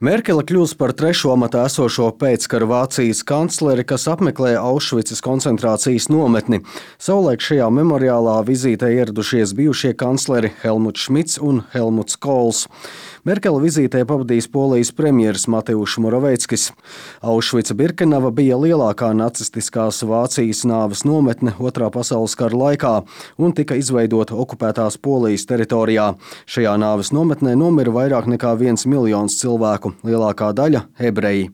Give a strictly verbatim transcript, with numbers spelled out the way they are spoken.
Merkele kļūs par trešo amatā esošo pēckara Vācijas kancleri, kas apmeklē Aušvicas koncentrācijas nometni. Savulaik šajā memoriālā vizītē ieradušies bijušie kancleri Helmuts Šmits un Helmuts Kohls. Merkele vizītē pavadīs Polijas premjeras Mateušs Moravieckis. Aušvica-Birkenava bija lielākā nacistiskās Vācijas nāves nometne Otrā pasaules kara laikā un tika izveidota okupētās Polijas teritorijā. Šajā nāves nometnē nomira vairāk nekā viens miljons cilvēku, lielākā daļa ebreji.